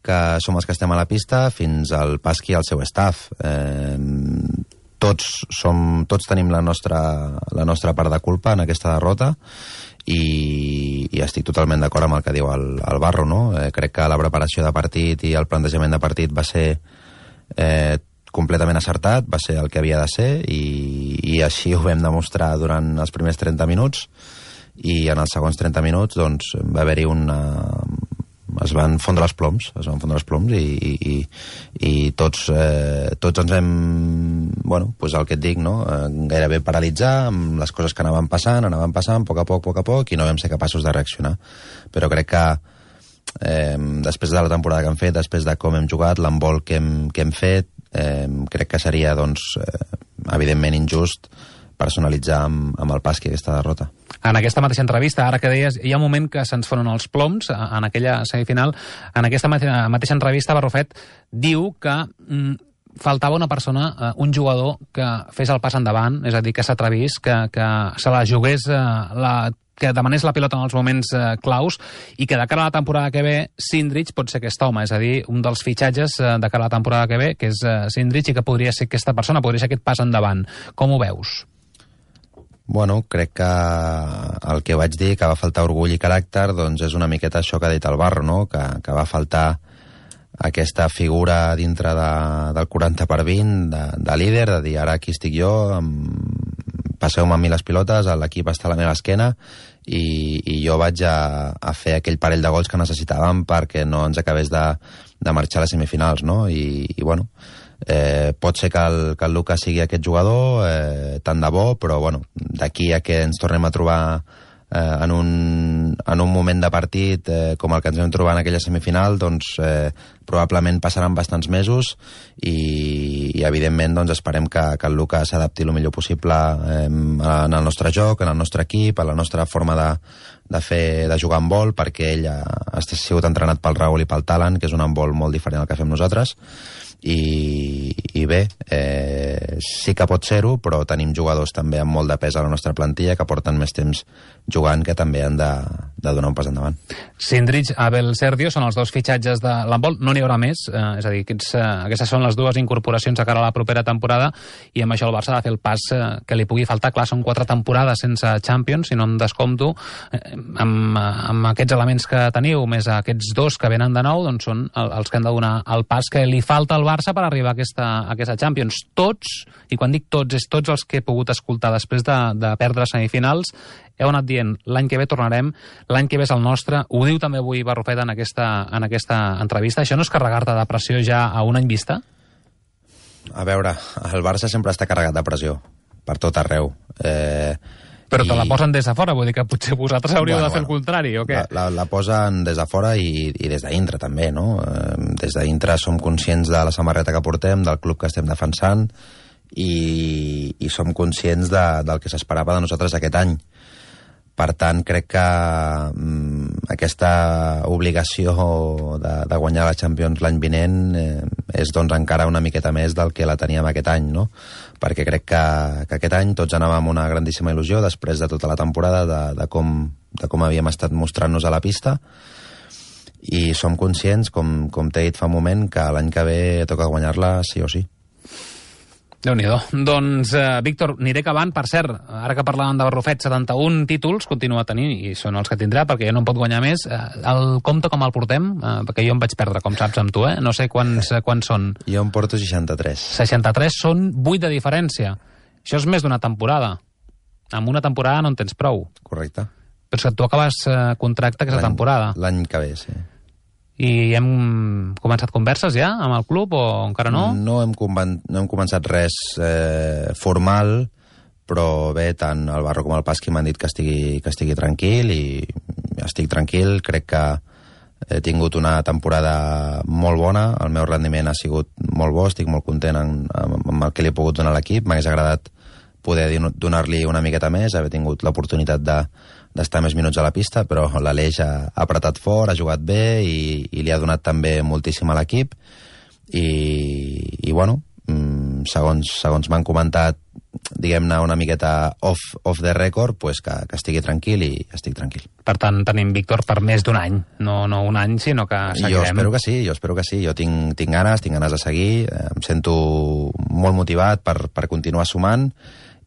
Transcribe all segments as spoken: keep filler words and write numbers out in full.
que som els que estem a la pista, fins al Pasqui i al seu staff. Eh, tots, som, tots tenim la nostra, la nostra part de culpa en aquesta derrota i, i estic totalment d'acord amb el que diu el, el Barro, no? Eh, crec que la preparació de partit i el plantejament de partit va ser eh, completament acertat, va ser el que havia de ser i, i així ho vam demostrar durant els primers trenta minuts i en els segons trenta minuts doncs, va haver-hi una... es van fondre els ploms, es van fondre els ploms i, i, i tots, eh, tots ens vam, bueno, pues el que et dic, no? Eh, gairebé paralitzar amb les coses que anaven passant, anaven passant a poc a poc, a poc a poc, i no vam ser capaços de reaccionar. Però crec que eh, després de la temporada que hem fet, després de com hem jugat, l'embol que hem, que hem fet, eh, crec que seria, doncs, eh, evidentment injust personalitzar amb, amb el Pasqui aquesta derrota. En aquesta mateixa entrevista, ara que deies, hi ha un moment que se'ns fonen els ploms en aquella semifinal. En aquesta mateixa entrevista, Barrufet diu que mm, faltava una persona, un jugador que fes el pas endavant, és a dir, que s'atrevís, que, que se la jugués, la, que demanés la pilota en els moments eh, claus i que de cara a la temporada que ve Sindrich pot ser aquest home, és a dir, un dels fitxatges eh, de cara a la temporada que ve, que és eh, Sindrich, i que podria ser aquesta persona, podria ser aquest pas endavant. Com ho veus? Bueno, crec que el que vaig dir, que va faltar orgull i caràcter, doncs és una miqueta això que ha dit el Barro, no? Que, que va faltar aquesta figura dintre de, del quaranta per vint, de, de líder, de dir, ara aquí estic jo, amb... passeu-me a mi les pilotes, l'equip està a la meva esquena i, i jo vaig a, a fer aquell parell de gols que necessitàvem perquè no ens acabés de, de marxar a les semifinals, no? I, i bueno, eh, pot ser que el, que el Lucas sigui aquest jugador, eh, tant de bo, però bueno, d'aquí a que ens tornem a trobar eh, en, un, en un moment de partit eh, com el que ens vam trobar en aquella semifinal, doncs eh, probablement passaran bastants mesos i, i evidentment doncs, esperem que, que el Lucas s'adapti el millor possible eh, en el nostre joc, en el nostre equip, a la nostra forma de, de, fer, de jugar en vol, perquè ell ha, ha sigut entrenat pel Raül i pel Talan, que és un handbol molt diferent al que fem nosaltres. I, i bé, eh, sí que pot ser-ho, però tenim jugadors també amb molt de pes a la nostra plantilla que porten més temps jugant, que també han de, de donar un pas endavant. Sindrich, Abel Serdio són els dos fitxatges de l'handbol, no n'hi haurà més, eh, és a dir, aquests, eh, aquestes són les dues incorporacions a cara a la propera temporada i amb això el Barça ha de fer el pas eh, que li pugui faltar. Clar, són quatre temporades sense Champions, si no em descompto, eh, amb, amb aquests elements que teniu, més aquests dos que venen de nou, doncs són el, els que han de donar el pas que li falta al Barça per arribar a aquesta, a aquesta Champions. Tots, i quan dic tots, és tots els que he pogut escoltar després de, de perdre semifinals, heu anat dient, l'any que ve tornarem, l'any que ve és el nostre, ho diu també avui Barrufet en aquesta, en aquesta entrevista. Això no és carregar-te de pressió ja a un any vista? A veure, el Barça sempre està carregat de pressió, per tot arreu. Eh, Però i... te la posen des de fora, vull dir que potser vosaltres hauríeu bueno, de fer bueno, el contrari, o què? La, la, la posen des de fora i, i des de dintre també, no? Eh, des de dintre som conscients de la samarreta que portem, del club que estem defensant i, i som conscients de, del que s'esperava de nosaltres aquest any. Per tant, crec que mm, aquesta obligació de, de guanyar la Champions l'any vinent eh, és doncs encara una miqueta més del que la teníem aquest any, no? Perquè crec que, que aquest any tots anàvem amb una grandíssima il·lusió després de tota la temporada de, de, com, de com havíem estat mostrant-nos a la pista i som conscients, com, com t'he dit fa un moment, que l'any que ve toca guanyar-la sí o sí. Déu-n'hi-do. Doncs, eh, Víctor, aniré acabant. Per cert, ara que parlàvem de Barrufet, setanta-un títols continua tenint, i són els que tindrà, perquè ja no en pot guanyar més. Eh, el compte com el portem? Eh, perquè jo em vaig perdre, com saps, amb tu, eh? No sé quants, quants són. Jo em porto seixanta-tres. seixanta-tres són vuit de diferència. Això és més d'una temporada. En una temporada no en tens prou. Correcte. Però és que tu acabes eh, contracte aquesta temporada. L'any que ve, sí. I hem començat converses ja amb el club o encara no? No hem, conven... no hem començat res eh, formal, però bé, tant el Barro com el Pasqui m'han dit que estigui, que estigui tranquil i estic tranquil. Crec que he tingut una temporada molt bona, el meu rendiment ha sigut molt bo, estic molt content amb, amb el que li he pogut donar a l'equip. M'hagués agradat poder donar-li una miqueta més, haver tingut l'oportunitat de d'estar més minuts a la pista, però l'Aleix ha, ha apretat fort, ha jugat bé i, i li ha donat també moltíssim a l'equip i, i bueno, segons, segons m'han comentat diguem-ne, una miqueta off, off the record, pues que, que estigui tranquil i estic tranquil. Per tant, tenim Víctor per més d'un any. No, no un any, sinó que seguirem. Jo espero que sí, jo espero que sí. Jo tinc, tinc ganes, tinc ganes de seguir, em sento molt motivat per, per continuar sumant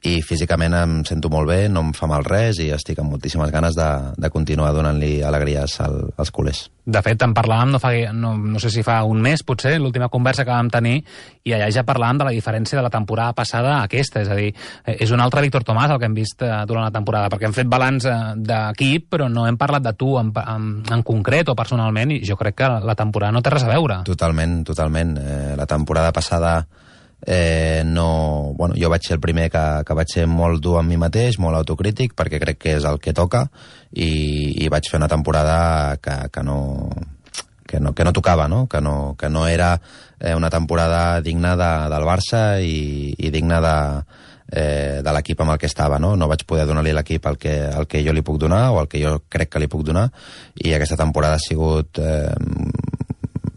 i físicament em sento molt bé, no em fa mal res i estic amb moltíssimes ganes de, de continuar donant-li alegries al, als culers. De fet, en parlàvem, no, fa, no, no sé si fa un mes, potser, l'última conversa que vam tenir, i allà ja parlàvem de la diferència de la temporada passada a aquesta. És a dir, és un altre Víctor Tomàs el que hem vist durant la temporada, perquè hem fet balanç d'equip, però no hem parlat de tu en, en, en concret o personalment, i jo crec que la temporada no té res a veure. Totalment, totalment. Eh, la temporada passada Eh, no, bueno, jo vaig ser el primer que, que vaig ser molt dur amb mi mateix, molt autocrític, perquè crec que és el que toca, i, i vaig fer una temporada que, que, no, que, no, que no tocava, no? Que, no, que no era eh, una temporada digna de, del Barça i, i digna de, eh, de l'equip amb el que estava, no? No vaig poder donar-li l'equip el, que, el que jo li puc donar o el que jo crec que li puc donar, i aquesta temporada ha sigut eh,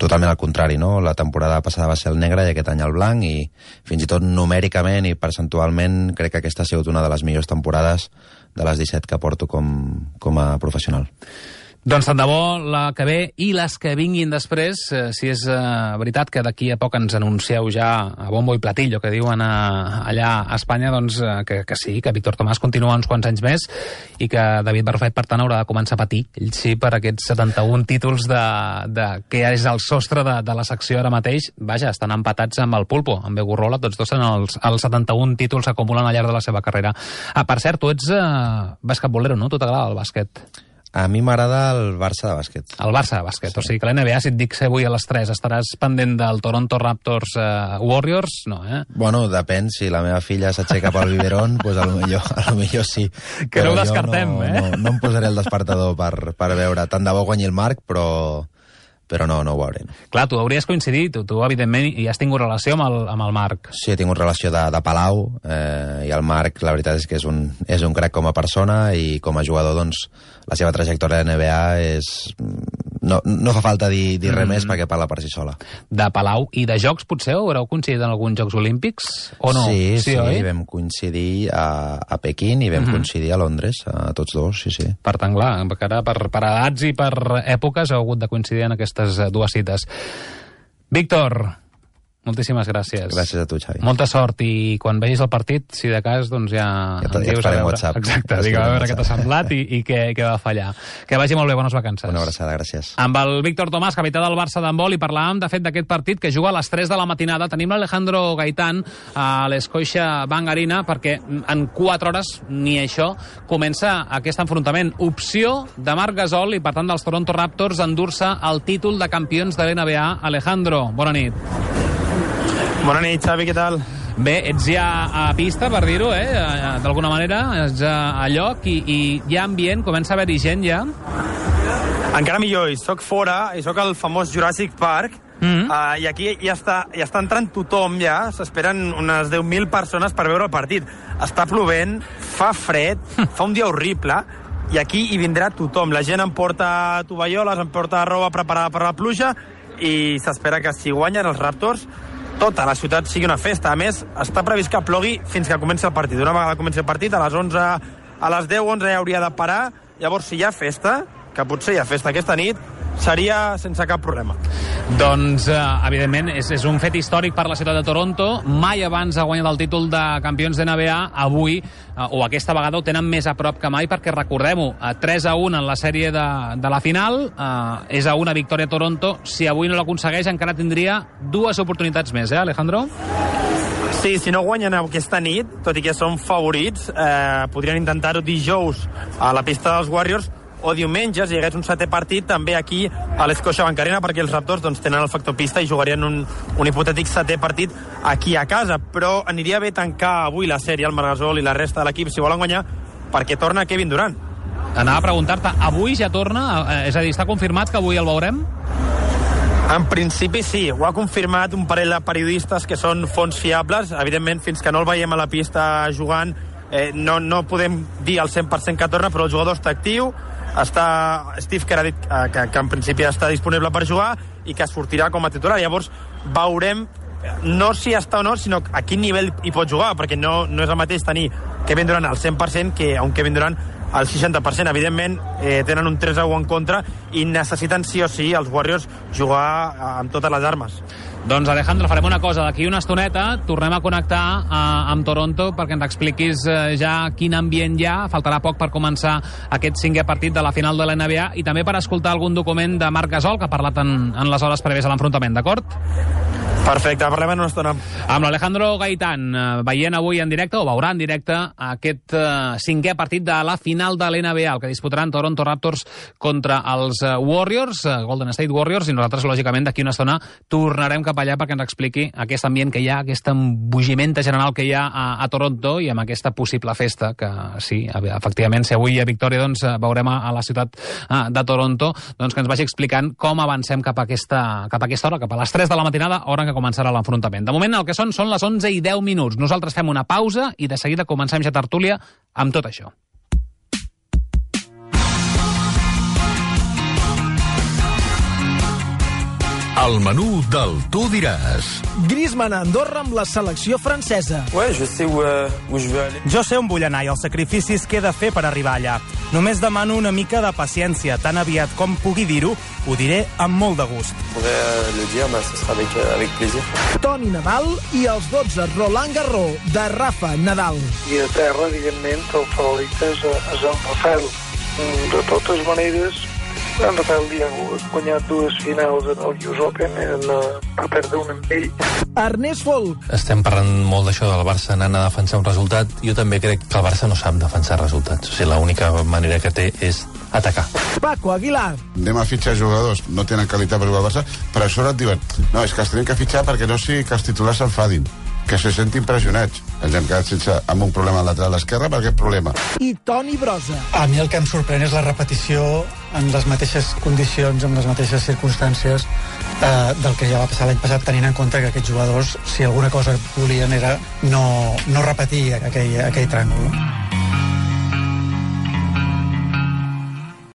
totalment al contrari, no? La temporada passada va ser el negre i aquest any el blanc, i fins i tot numèricament i percentualment crec que aquesta ha sigut una de les millors temporades de les disset que porto com, com a professional. Doncs tant de bo la que ve i les que vinguin després, eh, si és eh, veritat que d'aquí a poc ens anuncieu ja a bombo i platillo, que diuen a, allà a Espanya, doncs eh, que, que sí, que Víctor Tomàs continua uns quants anys més i que David Barrufet, per tant, haurà de començar a patir, ell sí, per aquests setanta-un títols de, de, que és el sostre de, de la secció ara mateix. Vaja, estan empatats amb el Pulpo, amb Begurrola, tots dos en els, els setanta-un títols que acumulen al llarg de la seva carrera. Ah, per cert, tu ets eh, basquetbolero, no? Tu t'agrada el bàsquet? A mi m'agrada el Barça de bàsquet. El Barça de bàsquet, sí. O sigui que l'N B A, si et dic ser avui a les tres, estaràs pendent del Toronto Raptors uh, Warriors? No, eh? Bueno, depèn, si la meva filla s'aixeca pel biberón, doncs pues a lo millor, a lo millor sí. Que no ho descartem, no, eh? No, no em posaré el despertador per, per veure. Tant de bo guanyi el Marc, però... però no, no ho veuré. No. Clar, tu hauries coincidit, tu, tu evidentment, i has tingut relació amb el, amb el Marc. Sí, he tingut relació de, de Palau, eh, i el Marc, la veritat és que és un, és un crac com a persona, i com a jugador, doncs, la seva trajectòria de N B A és... No, no fa falta dir, dir res mm. més perquè parla per si sola. De Palau i de Jocs, potser? Haureu coincidit en alguns Jocs Olímpics? O no? Sí, sí, sí oi? Vam coincidir a, a Pequín i vam mm-hmm. coincidir a Londres, a tots dos, sí, sí. Per tant, clar, per, per edats i per èpoques heu hagut de coincidir en aquestes dues cites. Víctor, moltíssimes gràcies. Gràcies a tu, Xavi. Molta sort, i quan vegis el partit, si de cas, doncs ja... Ja, ja et faré WhatsApp. Exacte, digue a veure què t'ha semblat i, i què, què va fallar. Que vagi molt bé, bones vacances. Una abraçada, gràcies. Amb el Víctor Tomàs, capità del Barça d'handbol, i parlàvem, de fet, d'aquest partit que juga a les tres de la matinada. Tenim l'Alejandro Gaitán a l'Scotia Bank Arena, perquè en quatre hores, ni això, comença aquest enfrontament. Opció de Marc Gasol i, per tant, dels Toronto Raptors endur-se el títol de campions de l'N B A. Alejandro, bona nit. Bona nit, Xavi, què tal? Bé, ets ja a pista, per dir-ho, eh? D'alguna manera, ets a lloc i, i hi ha ambient, comença a haver-hi gent ja? Encara millor, i soc fora, i soc al famós Jurassic Park, mm-hmm. uh, i aquí ja està, ja està entrant tothom ja, s'esperen unes deu mil persones per veure el partit. Està plovent, fa fred, fa un dia horrible, i aquí hi vindrà tothom. La gent em porta tovalloles, em porta roba preparada per la pluja, i s'espera que si guanyen els Raptors, tota la ciutat sigui una festa. A més, està previst que plogui fins que comenci el partit. Una vegada comenci el partit, a les onze, a les deu, onze ja hauria de parar. Llavors, si hi ha festa, que potser hi ha festa aquesta nit, seria sense cap problema. Doncs, eh, evidentment, és, és un fet històric per la ciutat de Toronto. Mai abans ha guanyat el títol de campions de N B A. Avui, eh, o aquesta vegada, ho tenen més a prop que mai, perquè, recordem-ho, tres a un en la sèrie de, de la final, eh, és a una victòria a Toronto. Si avui no l'aconsegueix, encara tindria dues oportunitats més, eh, Alejandro? Sí, si no guanyen aquesta nit, tot i que són favorits, eh, podrien intentar-ho dijous a la pista dels Warriors, o diumenge, si hi hagués un setè partit, també aquí a l'Scotia Bank Arena, perquè els Raptors doncs, tenen el factor pista i jugarien un, un hipotètic setè partit aquí a casa. Però aniria bé tancar avui la sèrie, el Marc Gasol i la resta de l'equip, si volen guanyar, perquè torna Kevin Durant. Anava a preguntar-te, avui ja torna? És a dir, està confirmat que avui el veurem? En principi sí, ho ha confirmat un parell de periodistes que són fonts fiables. Evidentment, fins que no el veiem a la pista jugant, eh, no, no podem dir al cent per cent que torna, però el jugador està actiu. Està Steve Kerr ha dit eh, que, que en principi està disponible per jugar i que sortirà com a titular. Llavors veurem no si està o no, sinó a quin nivell hi pot jugar, perquè no, no és el mateix tenir Kevin Durant al cent per cent que a un Kevin Durant al seixanta per cent. Evidentment, eh, tenen un tres a u en contra i necessiten sí o sí els Warriors jugar amb totes les armes. Doncs, Alejandro, farem una cosa. D'aquí una estoneta tornem a connectar eh, amb Toronto perquè ens expliquis eh, ja quin ambient hi ha. Faltarà poc per començar aquest cinquè partit de la final de la N B A i també per escoltar algun document de Marc Gasol, que ha parlat en, en les hores prèvies a l'enfrontament, d'acord? Perfecte, parlem en una estona. Amb l'Alejandro Gaitán, eh, veient avui en directe, o veurà en directe, aquest eh, cinquè partit de la final de l'N B A, el que disputaran Toronto Raptors contra els eh, Warriors, eh, Golden State Warriors, i nosaltres, lògicament, d'aquí una estona tornarem cap allà perquè ens expliqui aquest ambient que hi ha, aquest embogiment general que hi ha a, a Toronto i amb aquesta possible festa, que sí, efectivament, si avui hi ha victòria, doncs veurem a, a la ciutat eh, de Toronto, doncs que ens vagi explicant com avancem cap a aquesta, cap a aquesta hora, cap a les tres de la matinada, hora en què començarà l'enfrontament. De moment el que són són les onze i deu minuts. Nosaltres fem una pausa i de seguida comencem ja tertúlia amb tot això. El menú del Tu diràs. Griezmann a Andorra amb la selecció francesa. Ouais, je sais où, euh, où je veux aller. Jo sé on vull anar i els sacrificis que he de fer per arribar allà. Només demano una mica de paciència. Tan aviat com pugui dir-ho, ho diré amb molt de gust. Pourrais euh, le dire, bah, ce sera avec, euh, avec plaisir. Toni Nadal i els dotze Roland Garros de Rafa Nadal. I a terra, evidentment, el favorit és, és en Rafael. De totes maneres, en Rafael ja ha guanyat dues finals en el U S Open, en, va perdre un amb ell. Ernest Folk. Estem parlant molt d'això del Barça anant a defensar un resultat. Jo també crec que el Barça no sap defensar resultats. O sigui, l'única manera que té és atacar. Paco Aguilar. Anem a fitxar jugadors, no tenen qualitat per jugar al Barça, però a sobre et diuen no, és que els tenim que fitxar perquè no sigui que els titulars s'enfadin, que se sentin pressionats. Ens hem quedat sense, amb un problema al lateral esquerre per aquest problema. I Toni Brosa. A mi el que em sorprèn és la repetició en les mateixes condicions, en les mateixes circumstàncies eh, del que ja va passar l'any passat, tenint en compte que aquests jugadors, si alguna cosa volien, era no, no repetir aquell, aquell tràngol.